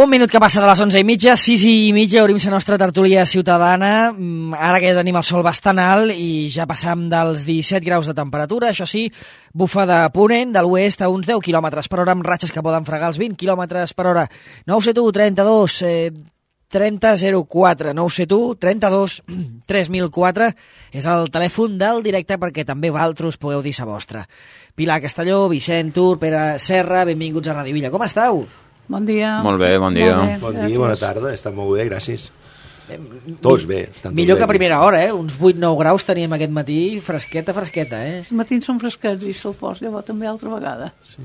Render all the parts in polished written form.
Un minut que passa de les 11:30, 6:30, obrim la nostra tertúlia ciutadana. Ara que ja tenim el sol bastant alt i ja passam dels 17 graus de temperatura, això sí, bufa de ponent de l'oest a uns 10 km per hora amb ratxes que poden fregar els 20 km per hora. 971 32 3004, 971 32 3004 és el telèfon del directe perquè també vosaltres podeu dir la vostra. Pilar Castelló, Vicent Tur, Pere Serra, benvinguts a Radio Villa. Com esteu? Bon dia. Molt bé, bon dia. Bon dia, bona tarda, està molt bé, gràcies. Tots bé. Millor que a primera hora, uns 8-9 graus teníem aquest matí, fresqueta, Els matins són fresquets i se'l pos, llavors també altra vegada. Sí.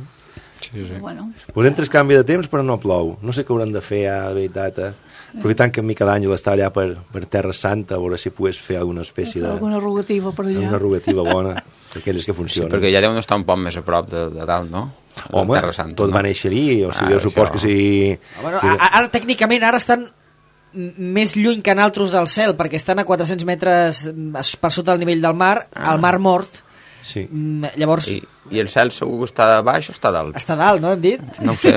Bueno. Podem tres canvi de temps, però no plou. No sé què haurem de fer, de veritat. Aprofitant que en Miquel Àngel està allà per Terra Santa, a veure si pogués fer alguna espècie de... Alguna rogativa per allà. Una rogativa bona, d'aquelles que funcionen. Sí, perquè ja deuen estar un poc més a prop de dalt, no? Home, tot va néixer allí, o sigui, jo supos que si... Bueno, ara, tècnicament, ara estan més lluny que naltros del cel, perquè estan a 400 metres per sota del nivell del mar, al mar mort. Sí. Llavors... I el cel segur que està baix o està dalt? Està dalt, no hem dit? No ho sé.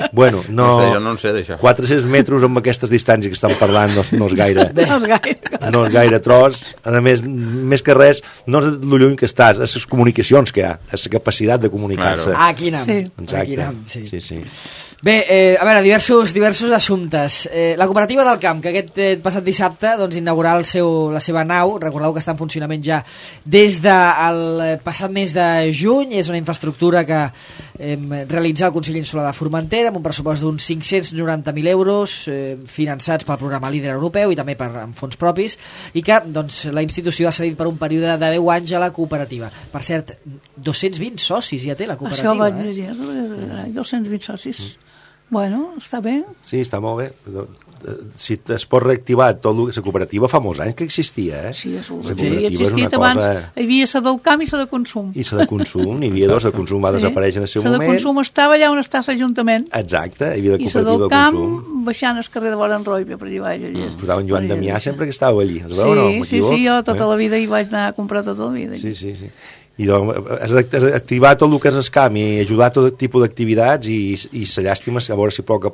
Bueno, jo no sé d'això. 400 metres amb aquestes distàncies que estan parlant no és gaire. No és gaire tros. A més que res, no és el lluny que estàs, és les comunicacions que hi ha, és la capacitat de comunicar-se. Claro. Aquí anem. Sí. Exacte. Aquí anem, sí. Bé, a veure, diversos assumptes. La Cooperativa del Camp, que aquest passat dissabte doncs, inaugurà la seva nau, recordeu que està en funcionament ja des del passat mes de juny, és una infraestructura que realitza el Consell Insular de Formentera amb un pressupost d'uns 590.000 euros finançats pel programa Líder Europeu i també amb fons propis, i que doncs, la institució ha cedit per un període de 10 anys a la cooperativa. Per cert, 220 socis ja té la cooperativa. Això vaig llegir, 220 socis. Bueno, està bé. Sí, està molt bé. Si es pot reactivar tot la cooperativa fa molts anys que existia, eh? Sí, és la cooperativa existit abans. Hi havia la del camp i la de consum. I la de consum, n'hi havia dos, la de consum va desaparèixer en el seu moment. La de consum estava allà on està l'Ajuntament. Exacte, hi havia la cooperativa de consum. I la del camp baixant el carrer de Boranroibe, per allà baix. Posava en Joan Damià sempre que estava allí. Sí, jo tota la vida hi vaig anar a comprar tota la vida. Sí. I doncs, activar tot el que és el camp i ajudar a tot tipus d'activitats i la llàstima és a veure si a poc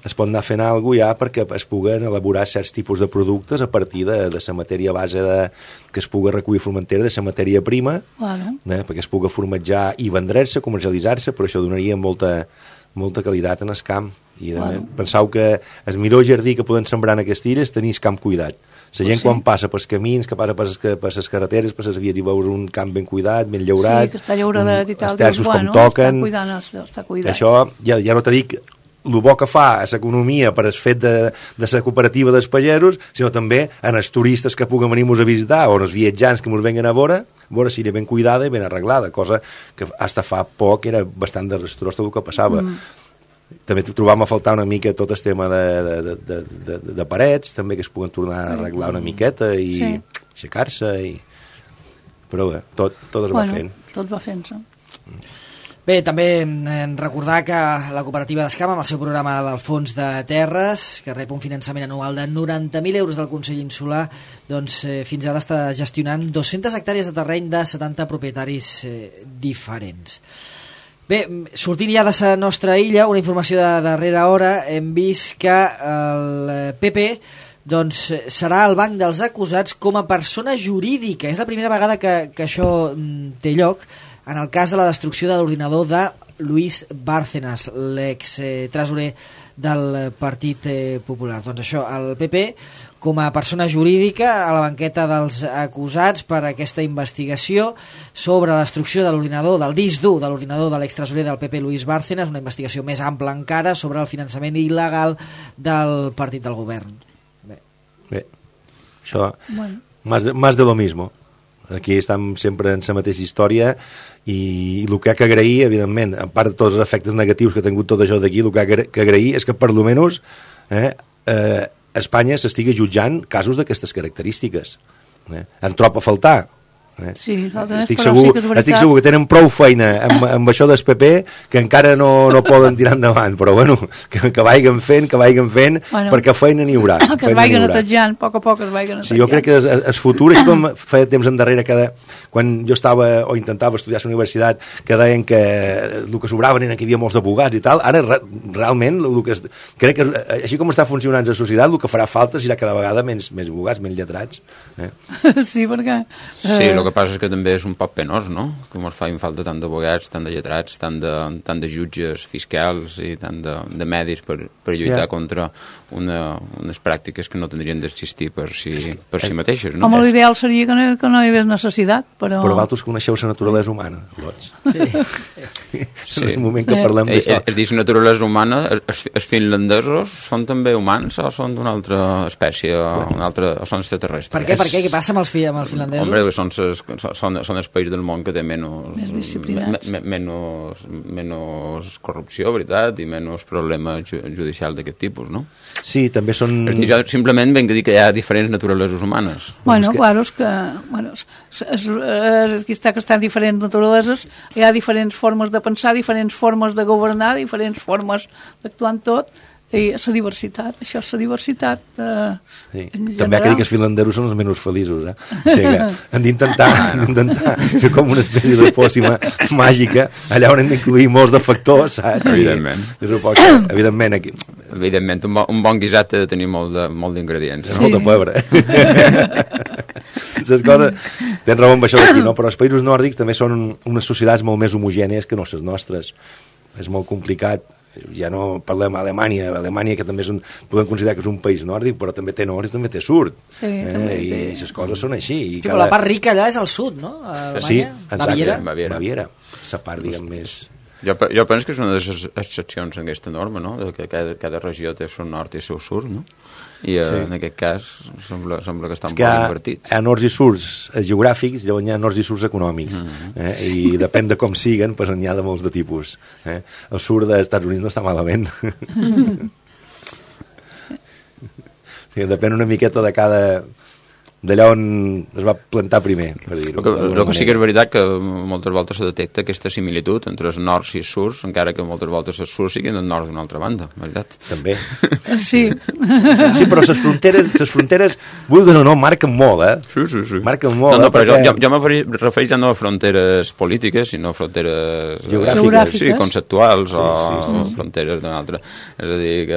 es pot anar fent alguna cosa ja perquè es puguen elaborar certs tipus de productes a partir de la matèria base que es pugui recollir a Formentera, de la matèria prima, perquè es pugui formatjar i vendre's-se, comercialitzar-se, però això donaria molta qualitat en el camp. I penseu que el millor jardí que poden sembrar en aquestes illes tenir el camp cuidat. La gent quan passa pels camins, que passa per les carreteres, per les vies, i veus un camp ben cuidat, ben llaurat, que està llauradet i tal, els terços com toquen. Està cuidat. Això, ja no te dic el bo que fa a l'economia per el fet de la cooperativa dels pagesos, sinó també en els turistes que puguen venir-nos a visitar o en els viatjants que ens venguen a veure si era ben cuidada i ben arreglada, cosa que fins fa poc era bastant desastrós tot el que passava. També trobàvem a faltar una mica tot el tema de parets, també que es puguen tornar a arreglar una miqueta i aixecar-se, però bé, tot es va fent. Tot va fent-se. Bé, també recordar que la cooperativa d'Escam, amb el seu programa del Fons de Terres, que rep un finançament anual de 90.000 euros del Consell Insular, doncs fins ara està gestionant 200 hectàrees de terreny de 70 propietaris diferents. Bé, sortint ja de la nostra illa, una informació de darrera hora, hem vist que el PP doncs, serà el banc dels acusats com a persona jurídica. És la primera vegada que això té lloc en el cas de la destrucció de l'ordinador de Luis Bárcenas, l'ex-tresorer del Partit Popular. Doncs això, el PP com a persona jurídica a la banqueta dels acusats per aquesta investigació sobre la destrucció de l'ordinador, del disc dur de l'ordinador de l'extresorer del PP Luis Bárcenas, una investigació més ampla encara sobre el finançament il·legal del partit del govern. Bé. Això, más de lo mismo. Aquí estem sempre en la mateixa història i el que ha que agrair, evidentment, a part de tots els efectes negatius que ha tingut tot això d'aquí, el que ha que agrair és que per almenys Espanya s'estigui jutjant casos d'aquestes característiques. En troba a faltar, Sí, estic segur que tenen prou feina amb això del PP que encara no poden tirar endavant, però bueno, que vagin fent, perquè feina n'hi haurà. Que es vagin netejant, a poc es vagin netejant. Sí, jo crec que el futur és com feia temps endarrere, quan jo estava o intentava estudiar a la universitat, que deien que el que sobraven era que hi havia molts d'abogats i tal, ara realment crec que així com està funcionant la societat, el que farà falta serà cada vegada menys abogats, menys lletrats. Sí, perquè... Sí, el que passa és que també és un poc penós, no? Que ens fa falta tant d'abogats, tant de lletrats, tant de jutges fiscals i tant de medis per lluitar contra unes pràctiques que no tindrien d'existir per si mateixes, no? Home, l'ideal seria que no hi hagués necessitat, però... Però vosaltres coneixeu la naturalesa humana, Lots. Sí. En el moment que parlem d'això. És dir, la naturalesa humana, els finlandesos són també humans o són d'una altra espècie, o són extraterrestres? Per què? Què passa amb els finlandesos? Home, són els països del món que té menys corrupció, veritat, i menys problemes judicials d'aquest tipus, no? Sí, també són... Jo simplement venc a dir que hi ha diferents naturaleses humanes. Bueno, clar, és que... Aquí està que estan diferents naturaleses, hi ha diferents formes de pensar, diferents formes de governar, diferents formes d'actuar en tot, i la diversitat, això és la diversitat sí. També hi ha que dir que els finlandesos són els menys feliços, o sigui que hem d'intentar fer com una espècie de pòcima màgica, allà on hem d'incluir molts de factors, saps? Evidentment. Evidentment, un bon guisat ha de tenir molt d'ingredients. Sí. Molt de pebre. Les coses... Tens raó amb això d'aquí, no? Però els països nòrdics també són unes societats molt més homogènies que no les nostres. És molt complicat. Ja no parlem d'Alemanya, que també podem considerar que és un país nòrdic, però també té nord i també té sud. Sí, I les coses són així. Però la part rica allà és al sud, no? A Alemanya? Sí, Baviera. La part, diguem, més... Jo penso que és una de les excepcions en aquesta norma, no? Que cada regió té el seu nord i el seu sud, no? I en aquest cas sembla que estan molt invertits. Hi ha nords i surts geogràfics, llavors hi ha nords i surts econòmics. I depèn de com siguen, doncs n'hi ha de molts de tipus. El sud dels Estats Units no està malament. Depèn una miqueta d'allà on es va plantar primer, per dir-ho. El que sí que és veritat que moltes voltes se detecta aquesta similitud entre els nords i els surts, encara que moltes voltes els surts siguin del nord d'una altra banda, veritat? També. Sí. Sí, però les fronteres, vulguis o no, marquen molt, Sí. Marquen molt. No, però jo me refereix ja no a fronteres polítiques, sinó a fronteres geogràfiques. Sí, conceptuals o fronteres d'una altra. És a dir,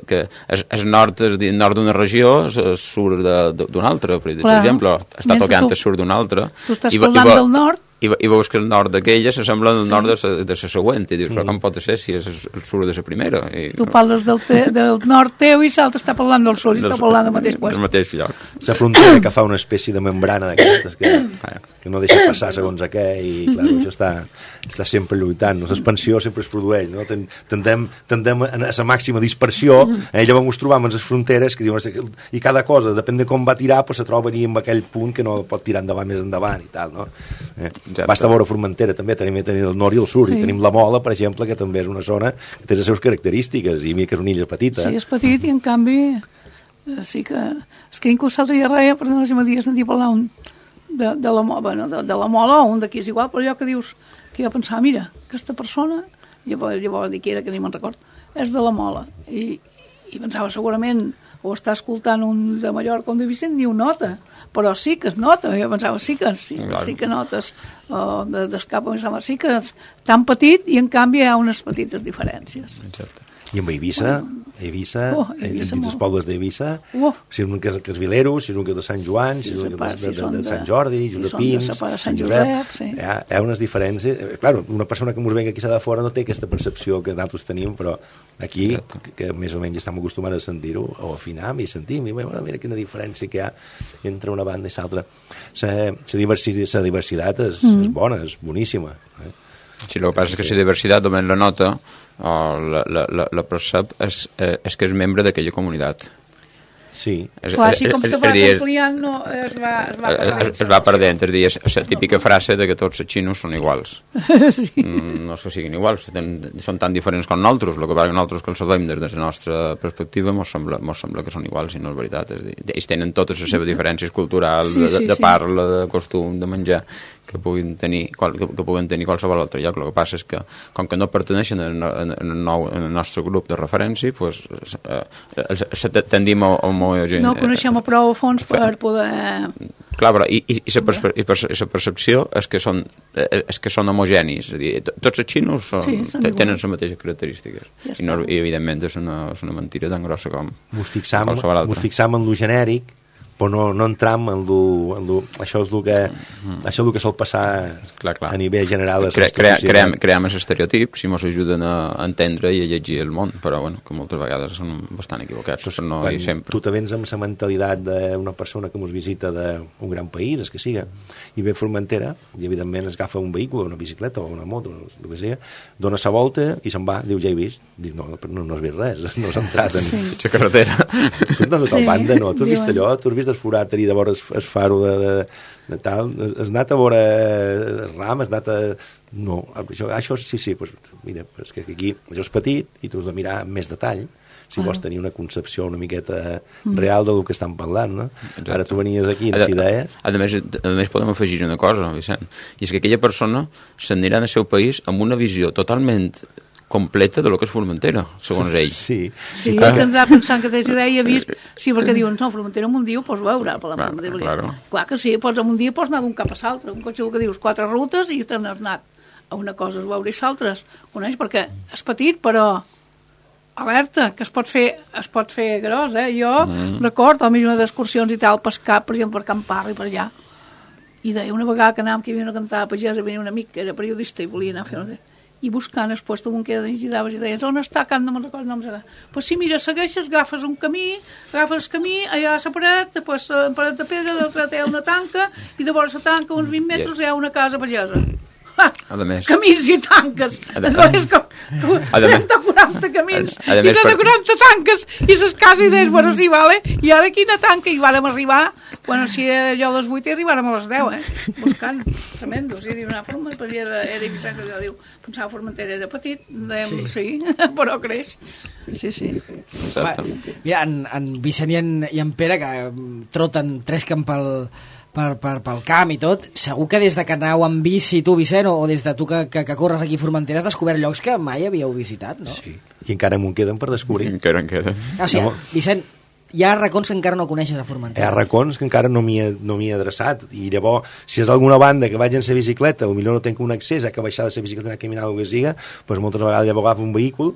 que el nord d'una regió, el sud d'una altra, per exemple, està tocant el sud d'una altra. Tu estàs parlant del nord i veus que el nord d'aquella s'assembla al nord de la següent, i dius, però com pot ser si és el sud de la primera? Tu parles del nord teu i l'altre està parlant del sud i està parlant del mateix lloc. Del mateix lloc. La frontera que fa una espècie de membrana d'aquestes que no deixa passar segons què, i clar, això està sempre lluitant, l'expansió sempre es produeix, no? Tendem a la màxima dispersió, llavors ens trobam en les fronteres que diuen, i cada cosa, depèn de com va tirar, se troba en aquell punt que no pot tirar endavant més endavant i tal, no? Basta veure Formentera també, tenim el nord i el sud, i tenim la Mola, per exemple, que també és una zona que té les seves característiques, i mira que és una illa petita. Sí, és petit, i en canvi sí que... És que inclús l'altre dia reia, per no sé, m'ha dit, sentir parlar de la Mola, o un d'aquí és igual, però allò que dius, que jo pensava, mira, aquesta persona, llavors dir que era, que ni me'n record, és de la Mola, i pensava, segurament, o està escoltant un de Mallorca o un de Vicent, ni ho nota, però sí que es nota. Jo pensava, sí que notes d'escapa, sí que és tan petit i en canvi hi ha unes petites diferències. Exacte. I amb Eivissa, dins els pobles d'Eivissa, si és un que és Vileros, si és un que és de Sant Joan, si és un que és de Sant Jordi, de Pins, de Sant Josep, hi ha unes diferències. Clar, una persona que ens venga aquí de fora no té aquesta percepció que nosaltres tenim, però aquí, que més o menys estem acostumats a sentir-ho, o afinar i sentim, i mira quina diferència que hi ha entre una banda i l'altra. La diversitat és bona, és boníssima. Sí, el que passa és que la diversitat només la nota o la percep és que és membre d'aquella comunitat. Sí. Clar, així com se va ampliant, no, es va perdent. És la típica frase de que tots els xinos són iguals. Sí. No és que siguin iguals, són tan diferents com nosaltres, el que passa que nosaltres que els sabem des de la nostra perspectiva mos sembla que són iguals, i no és veritat. Ells tenen totes les seves diferències culturals, de parla, de costum, de menjar, que puguen tenir qualsevol altre lloc. El que passa és que, com que no perteneixen al nostre grup de referència, pues, tendim a homogenitzar. No coneixem prou a fons per poder... Clar, però la percepció és que són homogenis. És a dir, tots els xinos tenen les mateixes característiques. I evidentment és una mentira tan grossa com qualsevol altra. Mos fixam en lo genèric, però no entram en això és el que sol passar a nivell general. Creem els estereotips i ens ajuden a entendre i a llegir el món, però bueno, que moltes vegades són bastant equivocats. Tu te vens amb la mentalitat d'una persona que ens visita d'un gran país, el que siga, i ve a Formentera, i evidentment es agafa un vehicle, una bicicleta o una moto, el que sigui, dona la volta i se'n va, diu, ja he vist. Dic, no has vist res, no has entrat en la carretera. Tu no has banda, no? Tu has vist allò? Tu has vist el forat allà de vora el faro de tal? Has anat a veure ram? Has anat a... No, això sí, pues, mira, és que aquí això és petit i tu has de mirar amb més detall si vols tenir una concepció una miqueta real del que estan parlant, no? Exacte. Ara tu venies aquí amb idees... A més podem afegir una cosa, Vicent, i és que aquella persona s'anirà al seu país amb una visió totalment completa de lo que és Formentera, segons ell. Sí, tindrà pensant que tens idea i ha vist... Sí, perquè diuen, no, Formentera en un dia ho pots veure. Clar que sí, en un dia pots anar d'un cap a l'altre. Un cotxe que dius 4 rutes i te n'has anat a una cosa és veure i l'altra. Coneix? Perquè és petit, però alerta, que es pot fer gros, eh? Jo recordo, a mi una d'excursions i tal, pescar, per exemple, per Can Parra i per allà. I deia, una vegada que anàvem, que hi havia una cantada pagesa, venia un amic que era periodista i volia anar a fer... I buscant el puesto on queda i daves i deies, on està? Que no me'n recordo, no em serà. Pues sí, mira, segueixes, agafes un camí, agafes el camí, allà a la paret, després a la paret de pedra, l'altre hi ha una tanca, i de vora la tanca, uns 20 metres, hi ha una casa pagesa. Camins i tanques. És com 30 o 40 camins i 30 o 40 tanques i les cases i deies, bueno, sí, vale, i ara quina tanca? I vàrem arribar, bueno, si allò a les 8 i arribàrem a les 10, buscant tremendos, i diu, una forma, era Vicent que diu, pensava Formentera era petit, dèiem, sí, però creix. Sí. Mira, en Vicent i en Pere, que troten 3 camp pel camp i tot, segur que des de que aneu amb bici tu, Vicent, o des de tu que corres aquí a Formentera has descobert llocs que mai havíeu visitat, no? Sí, i encara m'ho queden per descobrir. Encara en queden. O sigui, Vicent, hi ha racons que encara no coneixes a Formentera. Hi ha racons que encara no m'hi he adreçat, i llavors, si és d'alguna banda que vaig en la bicicleta, potser no tenc un accés, que baixar de la bicicleta i anar a caminar o que siga, doncs moltes vegades llavors agafo un vehicle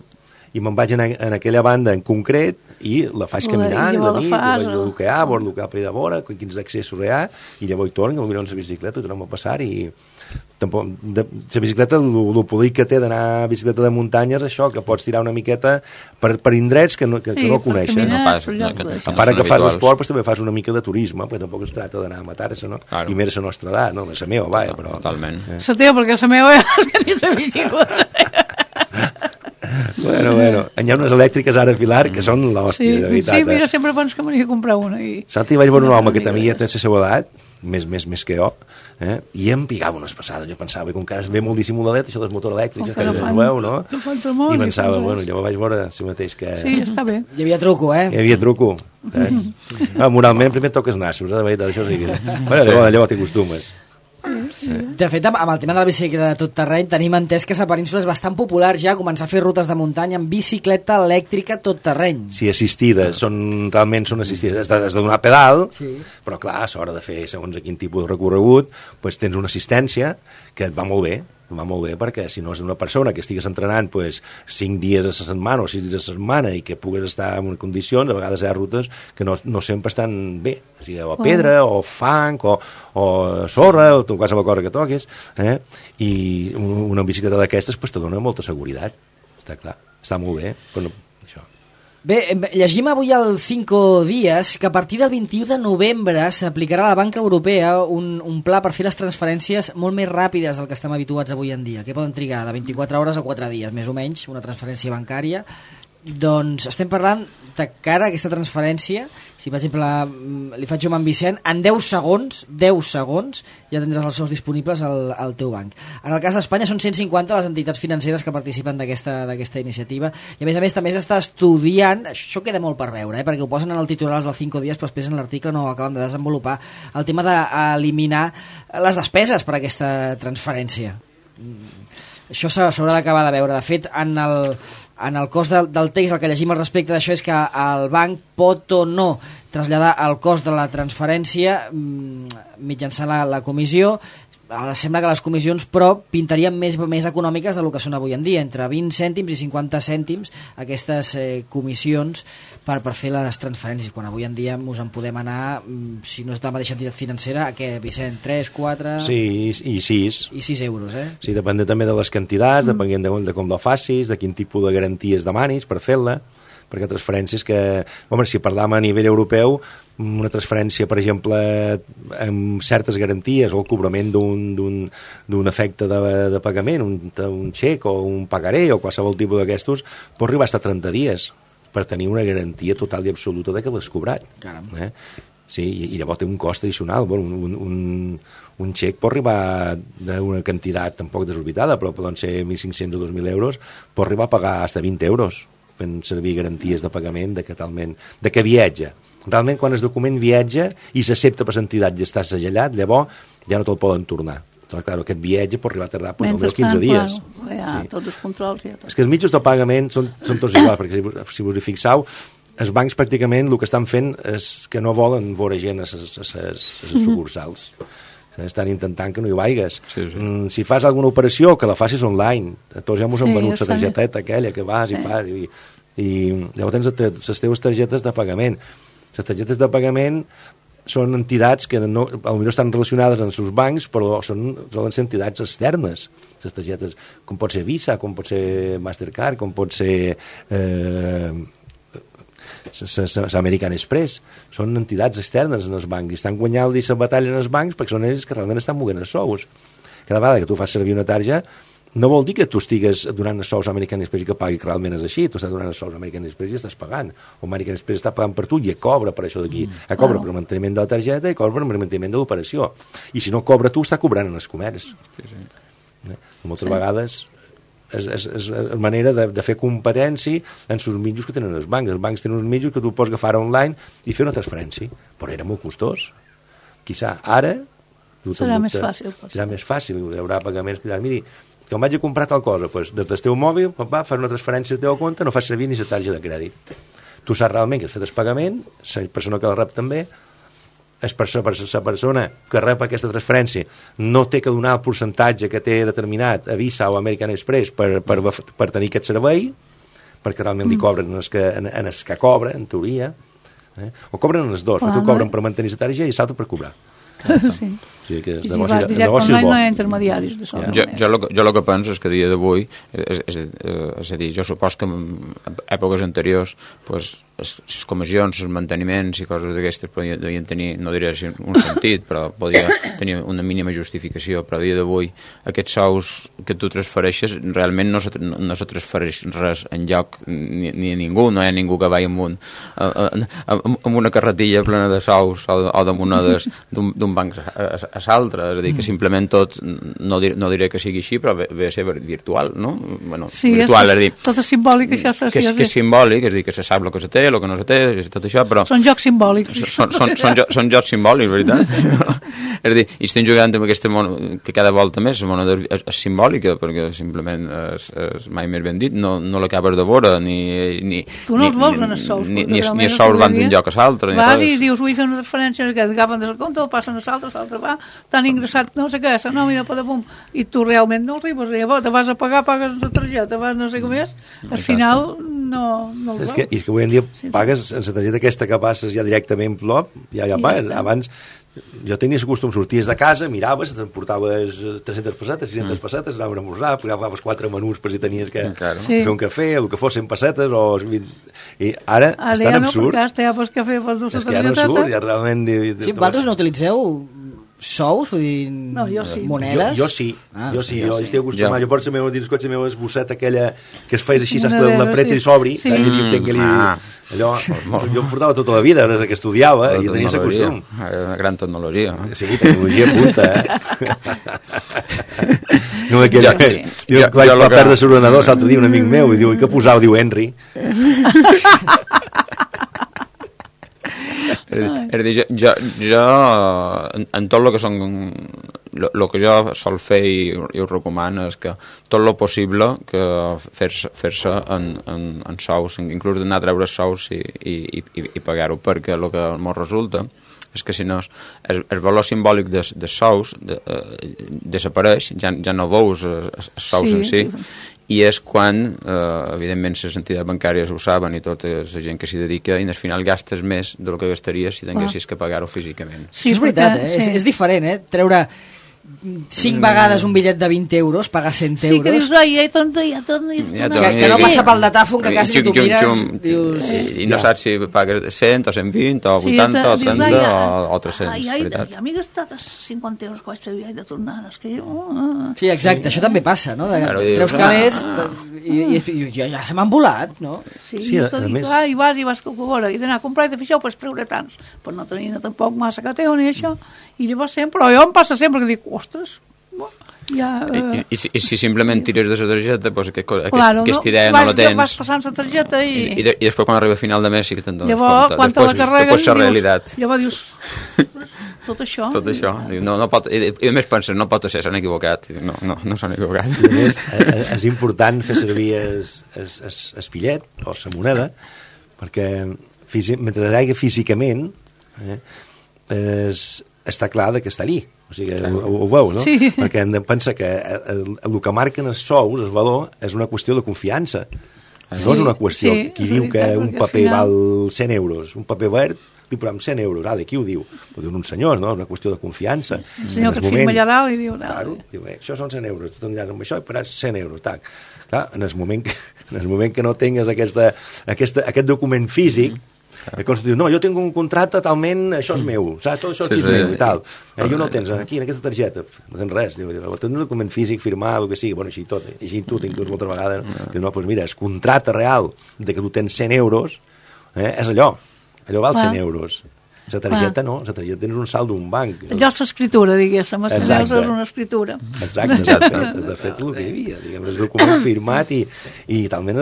i me'n vaig en aquella banda en concret i la faig caminant, la nit, el que hi ha, el que hi ha per allà de vora, quins accessos hi ha, i llavors hi torno, potser en la bicicleta, tornem a passar, i tampoc, la bicicleta, el polic que té d'anar a bicicleta de muntanya és això, que pots tirar una miqueta per indrets que no coneixes. A part que fas l'esport, però també fas una mica de turisme, perquè tampoc es tracta d'anar a matar-se, no? I més a la nostra edat, no? La meva, vaja, però... Totalment. La teva, perquè la meva és que ni la bicicleta. Bueno, hi ha unes elèctriques ara, Pilar, que són l'hòstia, de veritat. Sí, mira, sempre penso que m'hauria de comprar una. Saps, hi vaig veure un home que també ja té la seva edat, més que jo, i em pigava unes passades. Jo pensava, com que ara ve molt dissimuladet, això dels motors elèctrics, que no veu, no? I pensava, bueno, llavors vaig veure si mateix que... Sí, està bé. Hi havia truco, eh? Hi havia truco. Moralment, primer toques nassos, de veritat, això sí. Bueno, llavors t'hi acostumes. De fet, amb el tema de la bicicleta de tot terreny tenim entès que la península és bastant popular ja començar a fer rutes de muntanya amb bicicleta elèctrica tot terreny. Sí, assistides, realment són assistides, has de donar pedal, però clar, a l'hora de fer segons a quin tipus de recorregut, doncs tens una assistència que et va molt bé, perquè si no és una persona que estigues entrenant 5 dies a la setmana o 6 dies a la setmana i que pugues estar en condicions, a vegades hi ha rutes que no sempre estan bé, o sigui, o pedra, o fang, o sorra, o qualsevol cosa que toquis, i una bicicleta d'aquestes te dona molta seguretat, està clar, està molt bé, però no... Bé, llegim avui al 5 dies que a partir del 21 de novembre s'aplicarà a la Banca Europea un pla per fer les transferències molt més ràpides del que estem habituats avui en dia, que poden trigar de 24 hores a 4 dies, més o menys, una transferència bancària. Doncs estem parlant de cara a aquesta transferència. Si, per exemple, li faig jo amb en Vicent, en 10 segons, ja tindràs els sous disponibles al teu banc. En el cas d'Espanya són 150 les entitats financeres que participen d'aquesta iniciativa, i a més també s'està estudiant, això queda molt per veure, perquè ho posen en el titular dels 5 dies, però després en l'article no ho acaben de desenvolupar, el tema d'eliminar les despeses per aquesta transferència. Això s'haurà d'acabar de veure. De fet, en el cost del text el que llegim al respecte d'això és que el banc pot o no traslladar el cost de la transferència mitjançant la comissió. Sembla que les comissions, però, pintarien més econòmiques del que són avui en dia, entre 20 cèntims i 50 cèntims aquestes comissions per fer les transferències, quan avui en dia ens en podem anar, si no és de la mateixa entitat financera, a què, Vicent? 3, 4... Sí, i 6. I 6 euros, eh? Sí, depèn també de les quantitats, depenent de com la facis, de quin tipus de garanties demanis per fer-la, perquè transferències que... Home, si parlàvem a nivell europeu, una transferència, per exemple, amb certes garanties o el cobrament d'un efecte de pagament, un xec o un pagaré o qualsevol tipus d'aquestos, pot arribar fins a 30 dies per tenir una garantia total i absoluta de que l'has cobrat. Caram. Sí, i llavors té un cost addicional. Un xec pot arribar d'una quantitat tampoc desorbitada, però poden ser 1.500 o 2.000 euros, pot arribar a pagar fins a 20 euros fent servir garanties de pagament de que viatja. Realment, quan el document viatja i s'accepta per l'entitat i està segellat, llavors ja no te'l poden tornar. Doncs, clar, aquest viatge pot arribar a tardar almenys 15 dies. Tots els controls. És que els mitjans de pagament són tots iguals, perquè si us hi fixeu, els bancs pràcticament el que estan fent és que no volen veure gent a les sucursals. Estan intentant que no hi vaigues. Sí. Si fas alguna operació, que la facis online. Tots ja ens han venut la targeteta aquella que vas i fas. I llavors tens les teves targetes de pagament. Les targetes de pagament són entitats que potser estan relacionades amb els seus bancs, però solen ser entitats externes. Les targetes, com pot ser Visa, com pot ser Mastercard, com pot ser... American Express, són entitats externes en els bancs i estan guanyant la batalla en els bancs perquè són ells que realment estan movent els sous. Cada vegada que tu fas servir una targeta no vol dir que tu estigues donant els sous a American Express i que pagui, que realment és així. Tu estàs donant els sous a American Express i estàs pagant, o American Express està pagant per tu i cobra per això d'aquí, cobra per el manteniment de la targeta i cobra per el manteniment de l'operació, i si no cobra tu està cobrant en els comerç. Moltes vegades és manera de fer competència en els mitjans que tenen els bancs. Els bancs tenen uns mitjans que tu pots agafar online i fer una transferència, però era molt costós. Quizà ara serà més fàcil. Serà més fàcil, hi haurà pagaments que diran, miri, que em vaig a comprar tal cosa, doncs des del teu mòbil fas una transferència al teu compte, no fas servir ni la targeta de crèdit. Tu saps realment que has fet el pagament, la persona que el rep també, la persona que rep aquesta transferència no té que donar el percentatge que té determinat a Visa o American Express per tenir aquest servei, perquè realment li cobren en els que cobra, en teoria, o cobren en els dos, perquè tu cobren per mantenir la targeta i l'altre per cobrar. Sí. Sí, que I si vas directe online no hi ha intermediaris. Jo el que penso és que a dia d'avui, és a dir, jo supos que en èpoques anteriors les comissions, els manteniments i coses d'aquestes podien tenir, no diré un sentit, però podia tenir una mínima justificació, però a dia d'avui aquests sous que tu transfereixes realment no se transfereix res enlloc ni a ningú, no hi ha ningú que vagi amb una carretilla plena de sous o de monedes d'un banc a l'altre, és a dir, que simplement tot, no diré que sigui així, però ve a ser virtual, no? Bueno, sí, virtual, és dir, tot és simbòlic, això que és simbòlic, és a dir, que se sap el que se té, el que no se té, tot això, però... Són jocs simbòlics. Són jocs simbòlics, veritat? És a dir, i estem jugant amb aquesta moneda, que cada volta més la moneda és simbòlica, perquè simplement és mai més ben dit, no l'acabes de veure, ni... Tu no els vols en els sous. Ni els sous van d'un lloc a l'altre. Vas i dius, vull fer una transferència, que agafen del compte, el passen a l'altre va, t'han ingressat no sé què, la nòmina, i tu realment no arribes, llavors te vas a pagar, pagues la targeta, vas no sé com és, al final no el veus. És que avui en dia pagues en la targeta aquesta que passes ja directament flop, ja pagues. Abans jo tenia el costum, sorties de casa, miraves, t'emportaves 300 pessetes, 600 pessetes, anaves a esmorzar, agafaves 4 menús per si tenies que fer un cafè, el que fos 100 pessetes o 20... I ara és tan absurd. Ara ja no, perquè ja pots cafè per dur la targeta. És que ja no surt, ja realment... Sí, vosaltres no utilitzeu sous? Vull dir, No, jo sí. monedes? Jo sí, jo estic acostumat. Jo. Jo porto dins cotxe la meva esbosseta aquella que es feia així, saps, Monedero, la preta sí. i s'obri, Sí. allò, jo em portava tota la vida, des que estudiava, i tenia aquest costum. Una gran tecnologia. Sí, tecnologia punta, No, que Jo vaig perdre l'ordenador l'altre dia un amic meu i diu, i què posava? Diu Henry. És a dir, jo en tot el que són el que jo sol fer i ho recomano és que tot el possible que fer-se en sous, inclús d'anar a treure sous i pagar-ho, perquè el que ens resulta és que si no el valor simbòlic de sous desapareix, ja no veus els sous en si, i és quan, evidentment, les entitats bancàries ho saben i tota la gent que s'hi dedica, i al final gastes més del que gastaries si tinguessis que pagar-ho físicament. Sí, és veritat, sí. És diferent, treure 5 vegades un bitllet de 20 euros, pagar 100 euros. Sí, que dius, ai, ja torna. Que no passa pel datàfon, que quasi tu mires, dius... I no saps si pagues 100 o 120 o 80 o 30 o 300, veritat. Ja m'he gastat 50 euros que vaig tenir de tornar, és que jo... Sí, exacte, això també passa, no? Treus calés i ja se m'han volat, no? Sí, a més... I vas calcular, i d'anar a comprar i de fixar, pues treure tants, per no tenir tampoc massa cateo ni això, i llavors sempre, però jo em passa sempre que dic, ostres, ja... I si simplement tires de la targeta, pues que estiré no la tens. Vas passant la targeta i... I després quan arriba a final de mes sí que te'n dones llavors, compte. Quan te la carregues, llavors dius, tot això... Tot això. No pot, i a més penses, no pot ser, s'han equivocat. No s'han equivocat. I a més, és important fer servir el pillet o la moneda, perquè mentre hi hagi físicament, està clar que està allí. O sigui, ho veu, no? Sí. Perquè hem de pensar que el que marquen els sous, el valor, és una qüestió de confiança. No és una qüestió. Qui diu que un paper val 100 euros, un paper verd, diu, però amb 100 euros, qui ho diu? Ho diuen uns senyors, no? És una qüestió de confiança. Un senyor que et firma allà dalt i diu... Claro, diu, això són 100 euros, tu t'enllaces amb això i pagaràs 100 euros, tac. Clar, en el moment que no tingues aquest document físic, diu, no, jo tinc un contracte talment, això és meu, saps? Tot això és meu i tal. I no el tens aquí, en aquesta targeta, no tens res. Diu, tens un document físic, firmat, el que sigui, bueno, així tot, així tu, inclús moltes vegades. Diu, no, doncs mira, el contracte real de que tu tens 100 euros és allò val 100 euros. La targeta no, la targeta tens un saldo d'un banc. Allò és l'escriptura, diguéssim, a 100 euros és una escriptura. Exacte. De fet, el que hi havia, diguem, és un document firmat i talment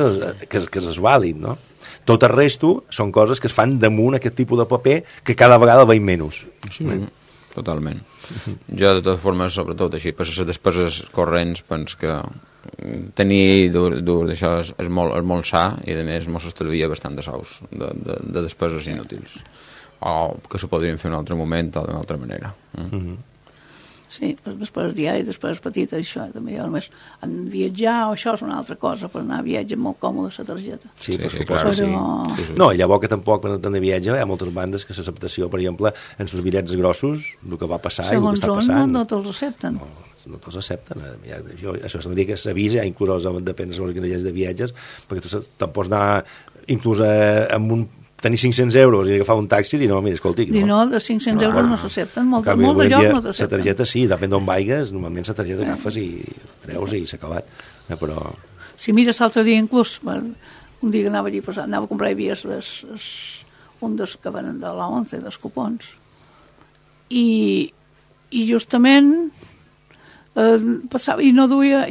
que és vàlid, no? Tot el resto són coses que es fan damunt aquest tipus de paper que cada vegada veiem menys. Sí, totalment. Jo, de totes formes, sobretot així, per les despeses corrents, penso que tenir d'això és molt sa i, a més, ens estalvia bastant de sous, de despeses inútils. O que s'ho podrien fer en un altre moment o d'una altra manera. Sí, després diari, després petita, això també, jo només en viatjar o això és una altra cosa, per anar a viatge molt còmode la targeta. Sí, per suposo, sí. No, i llavors que tampoc quan anem de viatge hi ha moltes bandes que l'acceptació, per exemple, en els bitllets grossos, el que va passar i el que està passant... No te'ls accepten. No te'ls accepten. Això s'hauria que s'avisa, inclús depèn dels organitzadors de viatges, perquè tu te'n pots anar inclús amb un tenir 500 euros i agafar un taxi i dir, no, mira, escolti... No, de 500 euros no s'accepten, molt de llocs no t'accepten. La targeta sí, depèn d'on vaigues, normalment la targeta agafes i treus i s'ha acabat. Però... Si mires l'altre dia inclús, un dia que anava allí passant, anava a comprar i havies un dels que venen de la 11, dels cupons. I justament passava i no duia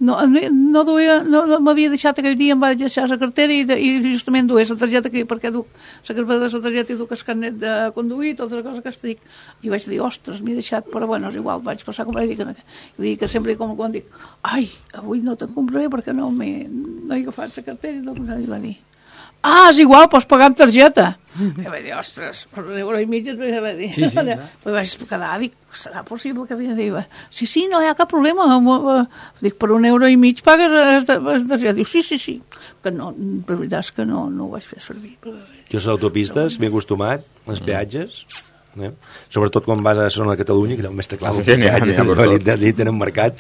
no m'havia deixat aquell dia, em va deixar la cartera i justament duia la targeta aquí, perquè duc la carpeta de la targeta i duc el carnet de conduir, tota la cosa que estic, i vaig dir, ostres, m'he deixat, però bueno, és igual, vaig passar a comprar i dic que sempre com quan dic, ai, avui no te'n compraré perquè no he agafat la cartera i va dir, és igual, pots pagar amb targeta. I vaig dir, ostres, per €1,50 et vaig dir. Sí, vaig quedar, dic, serà possible que havia de dir, sí, no hi ha cap problema. Dic, per €1,50 pagues la targeta. Diu, sí. Que no, la veritat és que no ho vaig fer servir. Jo a les autopistes m'he acostumat, als peatges, Sobretot quan vas a Zona de Catalunya, que era el mestre clau, Sí, allí tenen mercat,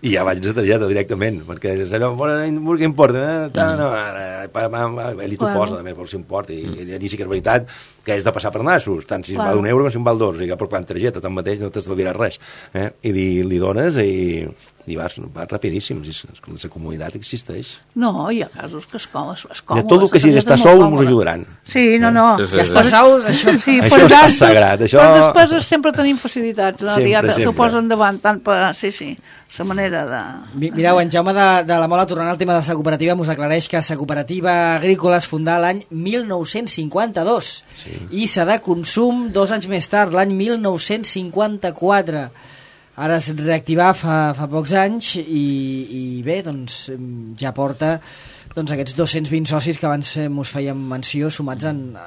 i ja vaig de targeta directament, perquè és allò, què importa? Ell t'ho posa, també, per si importa, i allí sí que és veritat que és de passar per nassos, tant si val €1 com si en val 2, i per quan targeta, tanmateix no t'estalviaràs res, i li dones i vas rapidíssim, la comunitat existeix. No, hi ha casos que és còmode. Tot el que sigui d'estar sous ens ajudaran. Sí, no. Ja està sous, això. Sí, això està sagrat. Per despeses sempre tenim facilitats. Sempre. T'ho posen davant, tant per... Sí, la manera de... Mireu, en Jaume de la Mola, tornant al tema de sa cooperativa, mos aclareix que sa cooperativa agrícola es fundà l'any 1952 i sa de consum 2 anys més tard, l'any 1954. Ara es reactivà fa pocs anys i bé, doncs ja porta aquests 220 socis que abans mos fèiem menció sumats en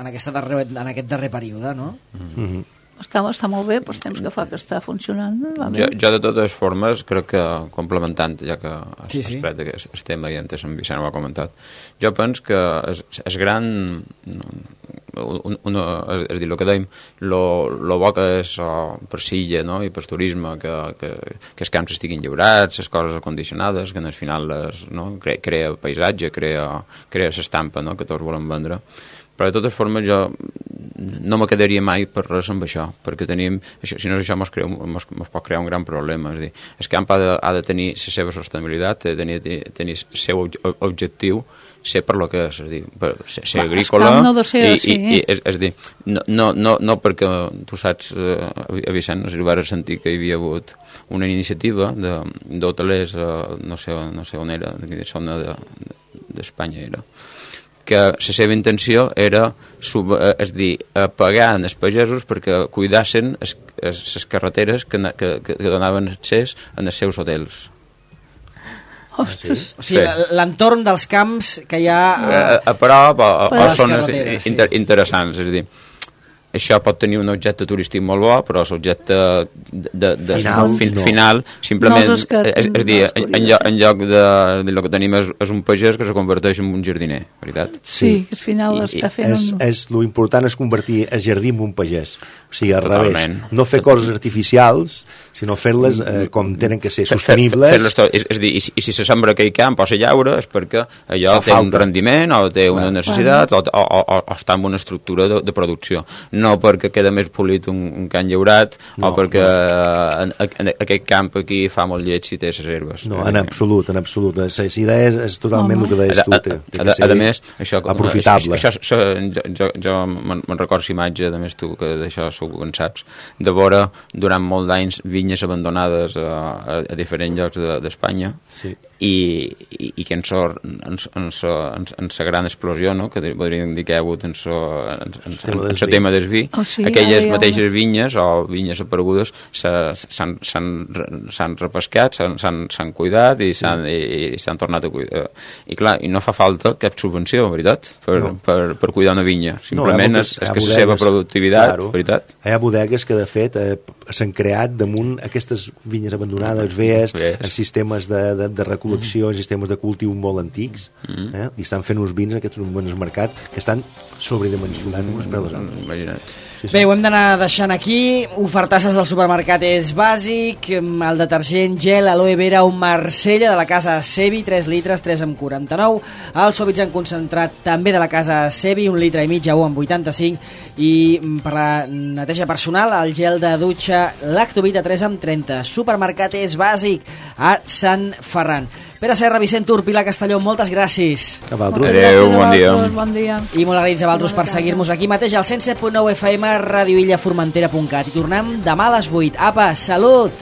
aquest darrer període, no? Està molt bé, pels temps que fa que està funcionant. Jo de totes formes, crec que complementant, ja que has tret aquest tema i antes en Vicent ho ha comentat, jo penso que és gran... és a dir, el que dèiem, lo bo que és per silla, no? I per turisme, que els camps estiguin lliurats, les coses acondicionades, que al final crea paisatge, crea l'estampa, no? Que tots volem vendre. Però de totes formes jo no me quedaria mai per res amb això, perquè tenim, si no és això mos pot crear un gran problema. És a dir, el camp ha de tenir la seva sostenibilitat, ha de tenir el seu objectiu, ser per lo que és a dir, ser agrícola, no de ser és a dir, no perquè tu saps, a Vicent, no sé si ho vas sentir que hi havia hagut una iniciativa d'hotelers, no sé on era, de quina zona d'Espanya era, que la seva intenció era pagar els pagesos perquè cuidassin les carreteres que donaven accés als seus hotels. Ostres. O sigui, l'entorn dels camps que hi ha a prop o zones interessants, és a dir, això pot tenir un objecte turístic molt bo, però l'objecte final simplement és dir, en lloc de el que tenim és un pagès que se converteix en un jardiner, veritat? Sí, que al final està fent lo important és convertir el jardí en un pagès, o sigui, al revés, no fer coses artificials, sinó fer-les com tenen que ser sostenibles. És a dir, i si se sembra aquell camp o se llaura és perquè allò té un rendiment o té una necessitat o està en una estructura de producció, no perquè queda més polit un camp llaurat o perquè aquest camp aquí fa molt lleig si té les herbes. No, en absolut. La idea és totalment el que deies tu. A més, això aprofitable. Jo me'n recordo imatge, a més tu que d'això segur que en saps, de veure durant molts d'anys vinyes abandonades a diferents llocs d'Espanya i que en la gran explosió, no? Que podríem dir que hi ha hagut en el tema del vi, aquelles mateixes vinyes o vinyes aparegudes s'han repescat, s'han cuidat i s'han tornat a cuidar. I clar, i no fa falta cap subvenció, veritat, per cuidar una vinya. Simplement és que la seva productivitat, veritat. Hi ha bodegues que, de fet, s'han creat damunt aquestes vinyes abandonades, veies, en sistemes de recol·lecció, sistemes de cultiu molt antics, i estan fent uns vins en aquests moments al mercat que estan sobredimensionant unes per les altres. Imagina't. Bé, ho hem d'anar deixant aquí. Ofertasses del supermercat és bàsic. El detergent gel aloe vera un Marsella de la casa Sebi, 3 litres, 3,49. El suavitzant concentrat també de la casa Sebi, 1 litre i mig a 1,85. I per la neteja personal, el gel de dutxa Lactovita 3,30. Supermercat és bàsic a Sant Ferran. Pere Serra, Vicent Tur, Pilar Castelló, moltes gràcies. Adéu, bon dia. I molt agraïts a vosaltres per seguir-nos aquí mateix al 107.9 FM, radioillaformentera.cat. I tornem demà a les 8. Apa, salut!